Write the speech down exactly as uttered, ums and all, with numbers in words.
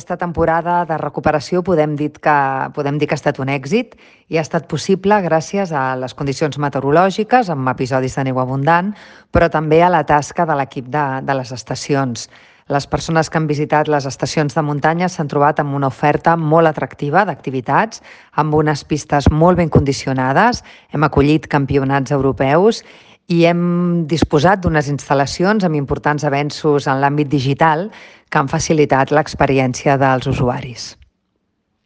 Aquesta temporada de recuperació podem dir que, podem dir que ha estat un èxit i ha estat possible gràcies a les condicions meteorològiques, amb episodis de neu abundant, però també a la tasca de l'equip de, de les estacions. Les persones que han visitat les estacions de muntanya s'han trobat amb una oferta molt atractiva d'activitats, amb unes pistes molt ben condicionades, hem acollit campionats europeus i hem disposat d'unes instal·lacions amb importants avenços en l'àmbit digital que han facilitat l'experiència dels usuaris.